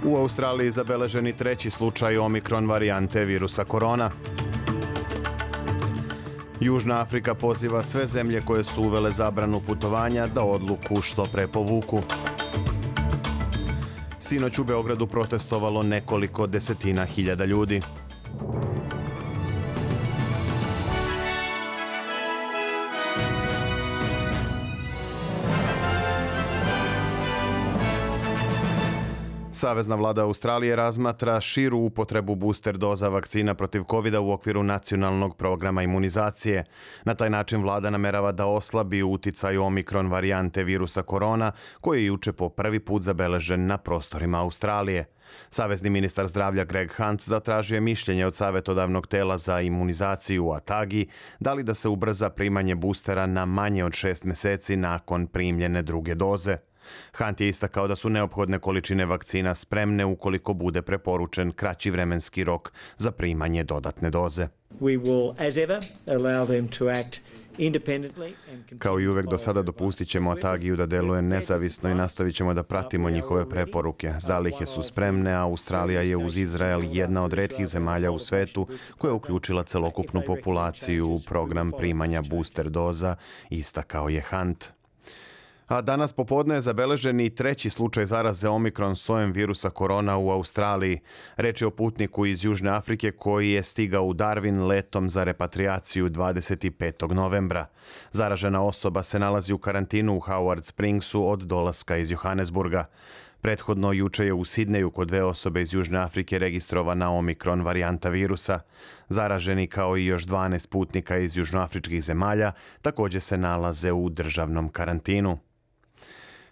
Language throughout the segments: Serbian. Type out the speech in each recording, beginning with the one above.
U Australiji zabeleženi treći slučaj omikron varijante virusa korona. Južna Afrika poziva sve zemlje koje su uvele zabranu putovanja da odluku što pre povuku. Sinoć u Beogradu protestovalo nekoliko desetina hiljada ljudi. Savezna vlada Australije razmatra širu upotrebu booster doza vakcina protiv covida u okviru nacionalnog programa imunizacije. Na taj način vlada namerava da oslabi uticaj omikron varijante virusa korona, koji je juče po prvi put zabeležen na prostorima Australije. Savezni ministar zdravlja Greg Hunt zatražio je mišljenje od savjetodavnog tela za imunizaciju u ATAGI da li da se ubrza primanje boostera na manje od 6 meseci nakon primljene druge doze. Hunt je istakao da su neophodne količine vakcina spremne ukoliko bude preporučen kraći vremenski rok za primanje dodatne doze. Kao i uvek do sada dopustit ćemo ATAGI-u da deluje nezavisno i nastavit ćemo da pratimo njihove preporuke. Zalihe su spremne, a Australija je uz Izrael jedna od retkih zemalja u svetu koja je uključila celokupnu populaciju u program primanja booster doza, istakao je Hunt. A danas popodne je zabeležen i treći slučaj zaraze omikron sojem virusa korona u Australiji. Reč je o putniku iz Južne Afrike koji je stigao u Darwin letom za repatriaciju 25. novembra. Zaražena osoba se nalazi u karantinu u Howard Springsu od dolaska iz Johannesburga. Prethodno juče je u Sidneju kod 2 osobe iz Južne Afrike registrovana omikron varijanta virusa. Zaraženi kao i još 12 putnika iz južnoafričkih zemalja također se nalaze u državnom karantinu.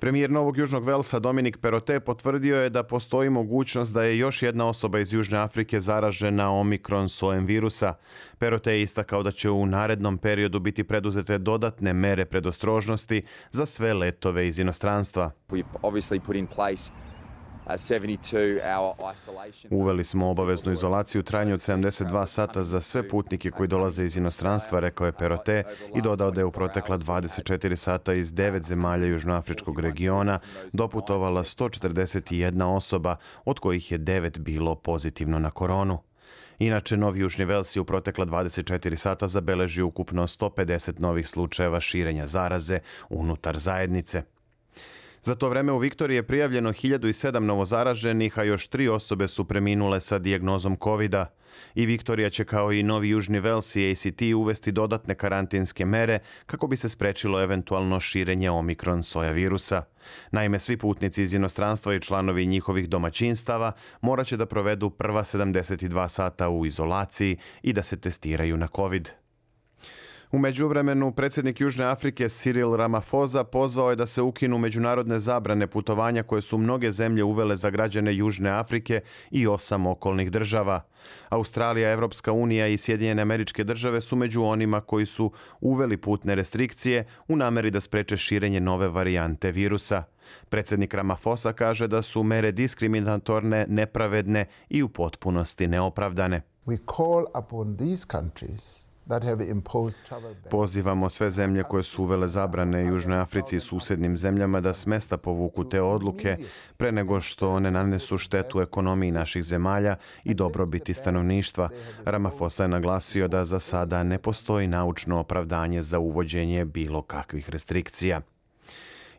Premijer Novog Južnog Velsa Dominic Perrottet potvrdio je da postoji mogućnost da je još jedna osoba iz Južne Afrike zaražena omikron sojem virusa. Perrottet je istakao da će u narednom periodu biti preduzete dodatne mere predostrožnosti za sve letove iz inostranstva. Uveli smo obaveznu izolaciju u trajanju od 72 sata za sve putnike koji dolaze iz inostranstva, rekao je Perrottet i dodao da je u protekla 24 sata iz 9 zemalja južnoafričkog regiona doputovala 141 osoba, od kojih je 9 bilo pozitivno na koronu. Inače, Novi Južni Vels je u protekla 24 sata zabeležio ukupno 150 novih slučajeva širenja zaraze unutar zajednice. Za to vreme u Viktoriji je prijavljeno 1007 novozaraženih, a još 3 osobe su preminule sa dijagnozom covida. I Viktorija će kao i Novi Južni Vels i ACT uvesti dodatne karantinske mere kako bi se sprečilo eventualno širenje omikron soja virusa. Naime, svi putnici iz inostranstva i članovi njihovih domaćinstava morat će da provedu prva 72 sata u izolaciji i da se testiraju na covid. U međuvremenu, predsjednik Južne Afrike Cyril Ramaphosa pozvao je da se ukinu međunarodne zabrane putovanja koje su mnoge zemlje uvele za građane Južne Afrike i 8 okolnih država. Australija, Evropska unija i Sjedinjene Američke Države su među onima koji su uveli putne restrikcije u nameri da spreče širenje nove varijante virusa. Predsjednik Ramaphosa kaže da su mere diskriminatorne, nepravedne i u potpunosti neopravdane. Pozivamo sve zemlje koje su uvele zabrane Južnoj Africi i susjednim zemljama da s mesta povuku te odluke pre nego što one nanesu štetu ekonomiji naših zemalja i dobrobiti stanovništva. Ramaphosa je naglasio da za sada ne postoji naučno opravdanje za uvođenje bilo kakvih restrikcija.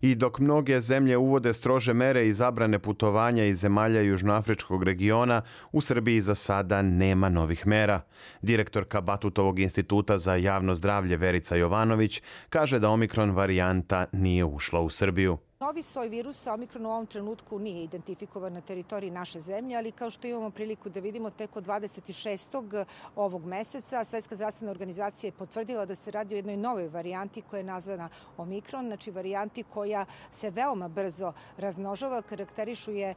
I dok mnoge zemlje uvode strože mere i zabrane putovanja iz zemalja južnoafričkog regiona, u Srbiji za sada nema novih mera. Direktorka Batutovog instituta za javno zdravlje Verica Jovanović kaže da omikron varijanta nije ušla u Srbiju. Novi soj virusa omikron u ovom trenutku nije identifikovan na teritoriji naše zemlje, ali kao što imamo priliku da vidimo tek od 26. ovog meseca, Svetska zdravstvena organizacija je potvrdila da se radi o jednoj novoj varijanti koja je nazvana omikron, znači varijanti koja se veoma brzo razmnožava, karakterišu je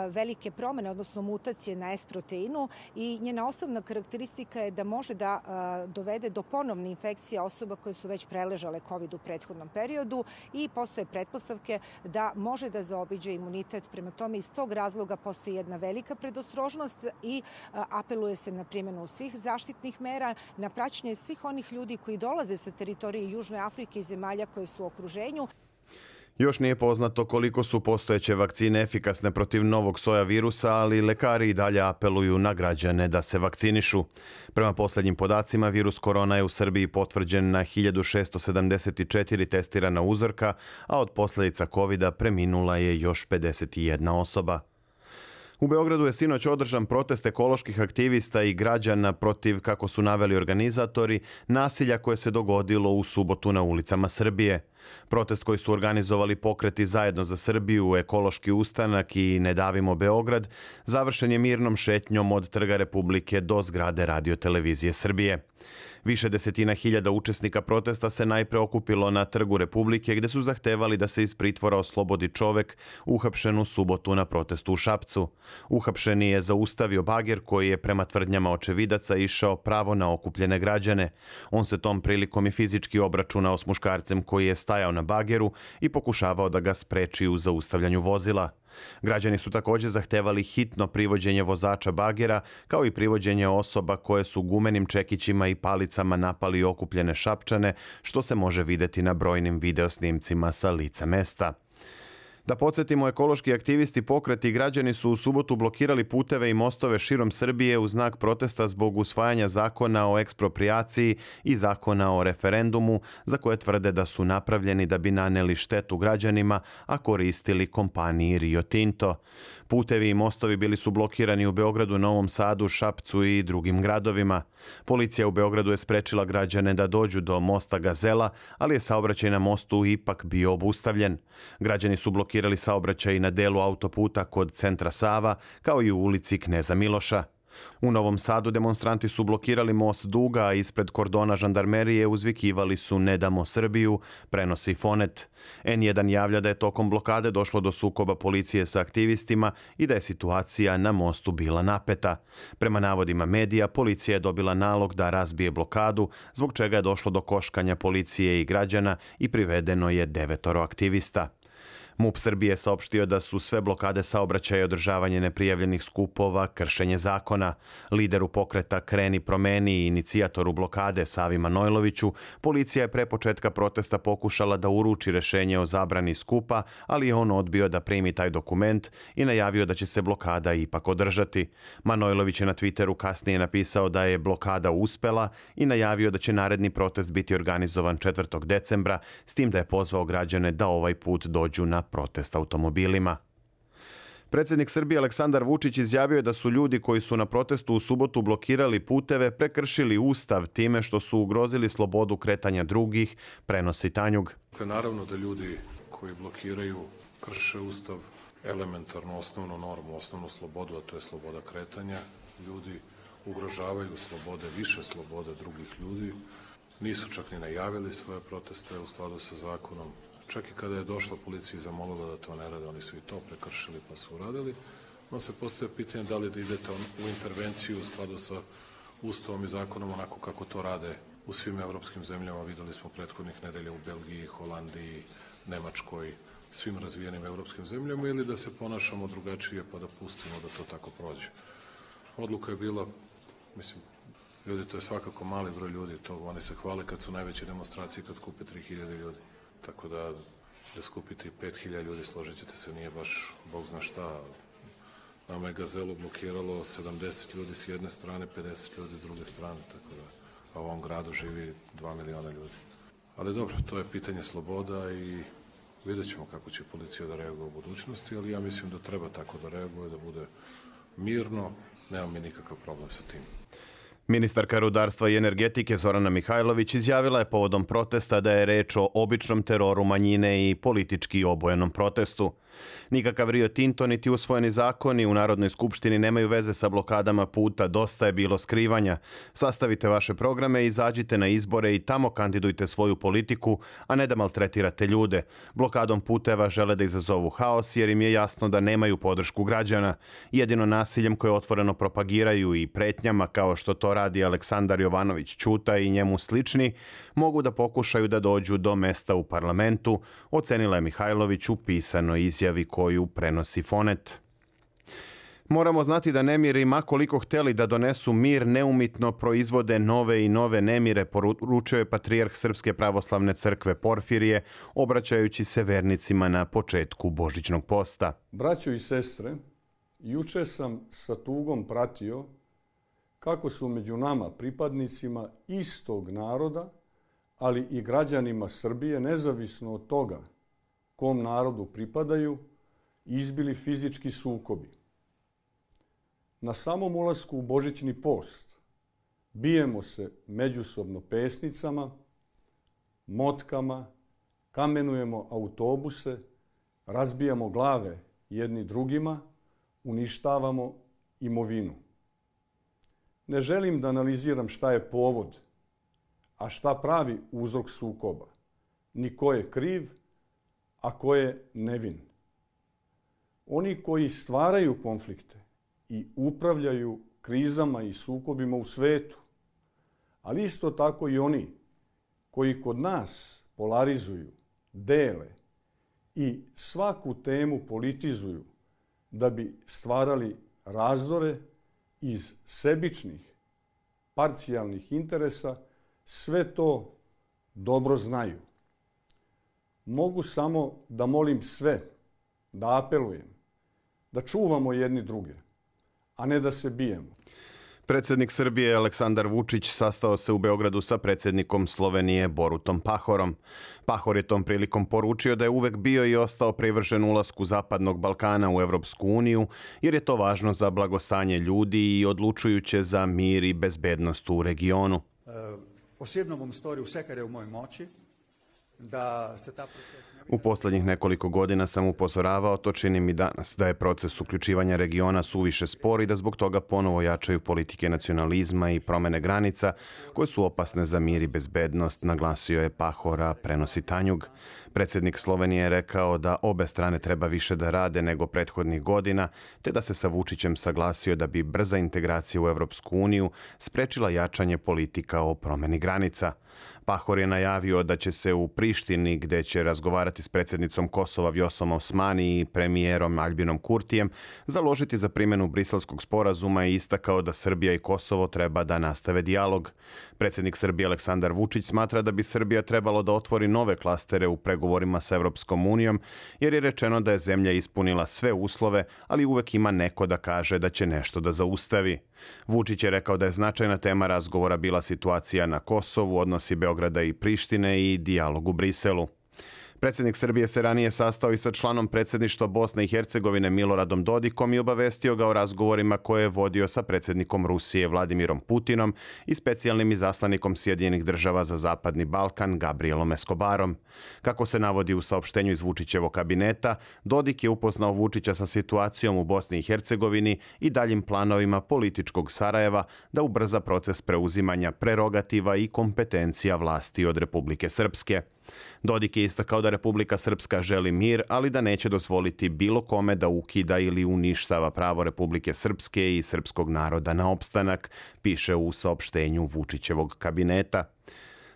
velike promene, odnosno mutacije na S proteinu i njena osnovna karakteristika je da može da dovede do ponovne infekcije osoba koje su već preležale COVID u prethodnom periodu i postoje pretpostavke da može da zaobiđe imunitet. Prema tome, iz tog razloga postoji jedna velika predostrožnost i apeluje se na primjenu svih zaštitnih mera, na praćenje svih onih ljudi koji dolaze sa teritorije Južne Afrike i zemalja koje su u okruženju. Još nije poznato koliko su postojeće vakcine efikasne protiv novog soja virusa, ali lekari i dalje apeluju na građane da se vakcinišu. Prema posljednjim podacima, virus korona je u Srbiji potvrđen na 1674 testirana uzorka, a od posljedica covida preminula je još 51 osoba. U Beogradu je sinoć održan protest ekoloških aktivista i građana protiv, kako su naveli organizatori, nasilja koje se dogodilo u subotu na ulicama Srbije. Protest koji su organizovali pokreti Zajedno za Srbiju, Ekološki ustanak i Ne davimo Beograd završen je mirnom šetnjom od Trga Republike do zgrade Radio-televizije Srbije. Više desetina hiljada učesnika protesta se najpre okupilo na Trgu Republike, gde su zahtevali da se iz pritvora oslobodi čovek uhapšen u subotu na protestu u Šapcu. Uhapšeni je zaustavio bager koji je prema tvrdnjama očevidaca išao pravo na okupljene građane. On se tom prilikom i fizički obračunao s muškarcem koji je stajao na bageru i pokušavao da ga spreči u zaustavljanju vozila. Građani su također zahtevali hitno privođenje vozača bagera, kao i privođenje osoba koje su gumenim čekićima i palicama napali okupljene Šapčane, što se može vidjeti na brojnim videosnimcima sa lica mesta. Da podsjetimo, ekološki aktivisti, pokreti i građani su u subotu blokirali puteve i mostove širom Srbije u znak protesta zbog usvajanja zakona o eksproprijaciji i zakona o referendumu, za koje tvrde da su napravljeni da bi naneli štetu građanima, a koristili kompaniji Rio Tinto. Putevi i mostovi bili su blokirani u Beogradu, Novom Sadu, Šapcu i drugim gradovima. Policija u Beogradu je sprečila građane da dođu do mosta Gazela, ali je saobraćaj na mostu ipak bio obustavljen. Građani su blokirali saobraćaj na delu autoputa kod centra Sava, kao i u ulici Kneza Miloša. U Novom Sadu demonstranti su blokirali most Duga, a ispred kordona žandarmerije uzvikivali su Ne damo Srbiju, prenosi Fonet. N1 javlja da je tokom blokade došlo do sukoba policije sa aktivistima i da je situacija na mostu bila napeta. Prema navodima medija, policija je dobila nalog da razbije blokadu, zbog čega je došlo do koškanja policije i građana i privedeno je 9 aktivista. MUP Srbije saopštio da su sve blokade saobraćaja i održavanje neprijavljenih skupova kršenje zakona. Lideru pokreta Kreni promeni i inicijatoru blokade Savi Manojloviću, policija je pre početka protesta pokušala da uruči rešenje o zabrani skupa, ali je on odbio da primi taj dokument i najavio da će se blokada ipak održati. Manojlović je na Twitteru kasnije napisao da je blokada uspela i najavio da će naredni protest biti organizovan 4. decembra, s tim da je pozvao građane da ovaj put dođu na protest automobilima. Predsjednik Srbije Aleksandar Vučić izjavio je da su ljudi koji su na protestu u subotu blokirali puteve prekršili Ustav time što su ugrozili slobodu kretanja drugih, prenosi Tanjug. Naravno da ljudi koji blokiraju krše Ustav, elementarnu osnovnu normu, osnovnu slobodu, a to je sloboda kretanja. Ljudi ugrožavaju slobode, više slobode drugih ljudi. Nisu čak ni najavili svoje proteste u skladu sa zakonom. Čak i kada je došla policija i zamolila da to ne rade, oni su i to prekršili pa su uradili. No se postavlja pitanje da li da idete u intervenciju u skladu sa Ustavom i zakonom onako kako to rade u svim evropskim zemljama. Videli smo prethodnih nedelja u Belgiji, Holandiji, Nemačkoj, svim razvijenim evropskim zemljama, ili da se ponašamo drugačije pa da pustimo da to tako prođe. Odluka je bila, mislim, ljudi, to je svakako mali broj ljudi, to oni se hvale kad su najveće demonstracije, kad skupe 3000 ljudi. Tako da skupiti 5000 ljudi, složit ćete se, nije baš Bog zna šta. Nama je Gazelu blokiralo 70 ljudi s jedne strane, 50 ljudi s druge strane, tako da a u ovom gradu živi 2 miliona ljudi. Ali dobro, to je pitanje sloboda i vidjet ćemo kako će policija da reaguje u budućnosti, ali ja mislim da treba tako da reaguje, da bude mirno, nemam mi nikakav problem sa tim. Ministarka rudarstva i energetike Zorana Mihajlović izjavila je povodom protesta da je reč o običnom teroru manjine i politički obojenom protestu. Nikakav Rio Tinto niti usvojeni zakoni u Narodnoj skupštini nemaju veze sa blokadama puta, dosta je bilo skrivanja. Sastavite vaše programe, izađite na izbore i tamo kandidujte svoju politiku, a ne da maltretirate ljude. Blokadom puteva žele da izazovu haos jer im je jasno da nemaju podršku građana. Jedino nasiljem koje otvoreno propagiraju i pretnjama kao što to radi Aleksandar Jovanović Ćuta i njemu slični, mogu da pokušaju da dođu do mesta u parlamentu, ocenila je Mihajlović u pisanoj izjavi koju prenosi Fonet. Moramo znati da nemiri, ma koliko hteli da donesu mir, neumitno proizvode nove i nove nemire, poručio je patrijarh Srpske pravoslavne crkve Porfirije, obraćajući se vernicima na početku Božićnog posta. Braćo i sestre, juče sam sa tugom pratio kako su među nama pripadnicima istog naroda, ali i građanima Srbije, nezavisno od toga kom narodu pripadaju, izbili fizički sukobi. Na samom ulasku u Božićni post bijemo se međusobno pesnicama, motkama, kamenujemo autobuse, razbijamo glave jedni drugima, uništavamo imovinu. Ne želim da analiziram šta je povod, a šta pravi uzrok sukoba, ni ko je kriv, a ko je nevin. Oni koji stvaraju konflikte i upravljaju krizama i sukobima u svetu, ali isto tako i oni koji kod nas polarizuju, dele i svaku temu politizuju da bi stvarali razdore iz sebičnih, parcijalnih interesa, sve to dobro znaju. Mogu samo da molim sve, da apelujem, da čuvamo jedni druge, a ne da se bijemo. Predsjednik Srbije Aleksandar Vučić sastao se u Beogradu sa predsjednikom Slovenije Borutom Pahorom. Pahor je tom prilikom poručio da je uvek bio i ostao privržen ulasku Zapadnog Balkana u Evropsku uniju, jer je to važno za blagostanje ljudi i odlučujuće za mir i bezbednost u regionu. Osebno bom storil vse, kar je v moji moči, da se ta proces... U posljednjih nekoliko godina sam upozoravao, to činim i danas, da je proces uključivanja regiona suviše spor i da zbog toga ponovo jačaju politike nacionalizma i promene granica koje su opasne za mir i bezbednost, naglasio je Pahora, prenosi Tanjug. Predsjednik Slovenije je rekao da obe strane treba više da rade nego prethodnih godina, te da se sa Vučićem saglasio da bi brza integracija u Evropsku uniju sprečila jačanje politika o promeni granica. Pahor je najavio da će se u Prištini, gde će razgovarati s predsjednicom Kosova Vjosom Osmani i premijerom Albinom Kurtijem, založiti za primjenu Briselskog sporazuma i istakao da Srbija i Kosovo treba da nastave dijalog. Predsjednik Srbije Aleksandar Vučić smatra da bi Srbija trebalo da otvori nove klastere u pregovorima sa Evropskom unijom, jer je rečeno da je zemlja ispunila sve uslove, ali uvek ima neko da kaže da će nešto da zaustavi. Vučić je rekao da je značajna tema razgovora bila situacija na Kosovu, odnosi Beograda i Prištine i dijalog u Briselu. Predsjednik Srbije se ranije sastao i sa članom predsjedništva Bosne i Hercegovine Miloradom Dodikom i obavestio ga o razgovorima koje je vodio sa predsjednikom Rusije Vladimirom Putinom i specijalnim izaslanikom Sjedinjenih država za Zapadni Balkan Gabrielom Escobarom. Kako se navodi u saopštenju iz Vučićevog kabineta, Dodik je upoznao Vučića sa situacijom u Bosni i Hercegovini i daljim planovima političkog Sarajeva da ubrza proces preuzimanja prerogativa i kompetencija vlasti od Republike Srpske. Dodik je istakao da Republika Srpska želi mir, ali da neće dozvoliti bilo kome da ukida ili uništava pravo Republike Srpske i srpskog naroda na opstanak, piše u saopštenju Vučićevog kabineta.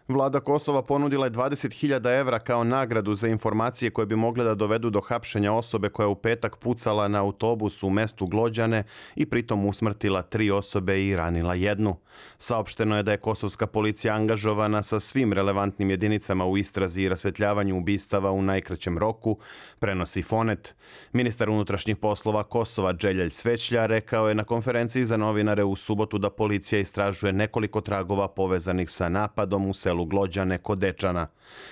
Vlada Kosova ponudila je 20.000 evra kao nagradu za informacije koje bi mogle da dovedu do hapšenja osobe koja je u petak pucala na autobus u mestu Glođane i pritom usmrtila 3 osobe i ranila 1. Saopšteno je da je kosovska policija angažovana sa svim relevantnim jedinicama u istrazi i rasvetljavanju ubistava u najkraćem roku, prenosi Fonet. Ministar unutrašnjih poslova Kosova Dželjelj Svećlja rekao je na konferenciji za novinare u subotu da policija istražuje nekoliko tragova povezanih sa napadom u selu Glođane kod Dečana.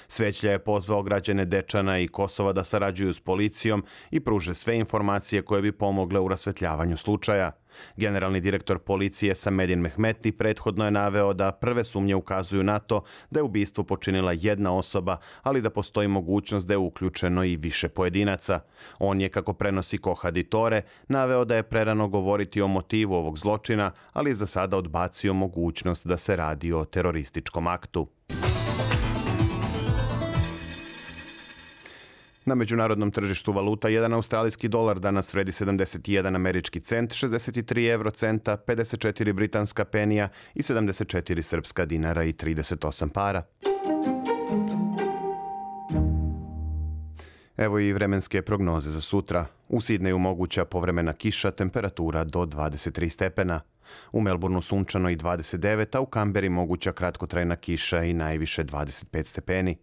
Svećlja je pozvao građane Dečana i Kosova da sarađuju s policijom i pruže sve informacije koje bi pomogle u rasvetljavanju slučaja. Generalni direktor policije Samedin Mehmeti prethodno je naveo da prve sumnje ukazuju na to da je ubistvo počinila jedna osoba, ali da postoji mogućnost da je uključeno i više pojedinaca. On je, kako prenosi Kohaditore, naveo da je prerano govoriti o motivu ovog zločina, ali je za sada odbacio mogućnost da se radi o terorističkom aktu. Na međunarodnom tržištu valuta, jedan australijski dolar danas vredi 71 američki cent, 63 eurocenta, 54 britanska penija i 74 srpska dinara i 38 para. Evo i vremenske prognoze za sutra. U Sidneju moguća povremena kiša, temperatura do 23 stepena. U Melbourneu sunčano i 29, a u Kamberi moguća kratkotrajna kiša i najviše 25 stepeni.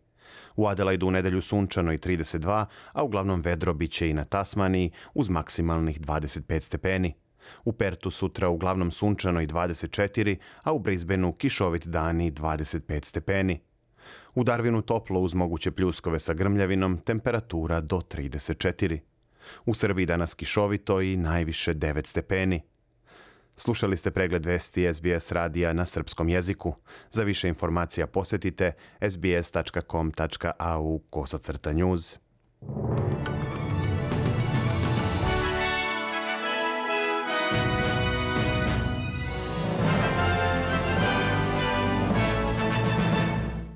U Adelaidu u nedelju sunčano i 32, a uglavnom vedro biće i na Tasmaniji uz maksimalnih 25 stepeni. U Pertu sutra uglavnom sunčano i 24, a u Brisbaneu kišovit dan i 25 stepeni. U Darwinu toplo uz moguće pljuskove sa grmljavinom, temperatura do 34. U Srbiji danas kišovito i najviše 9 stepeni. Slušali ste pregled vesti SBS radija na srpskom jeziku. Za više informacija posjetite sbs.com.au/news.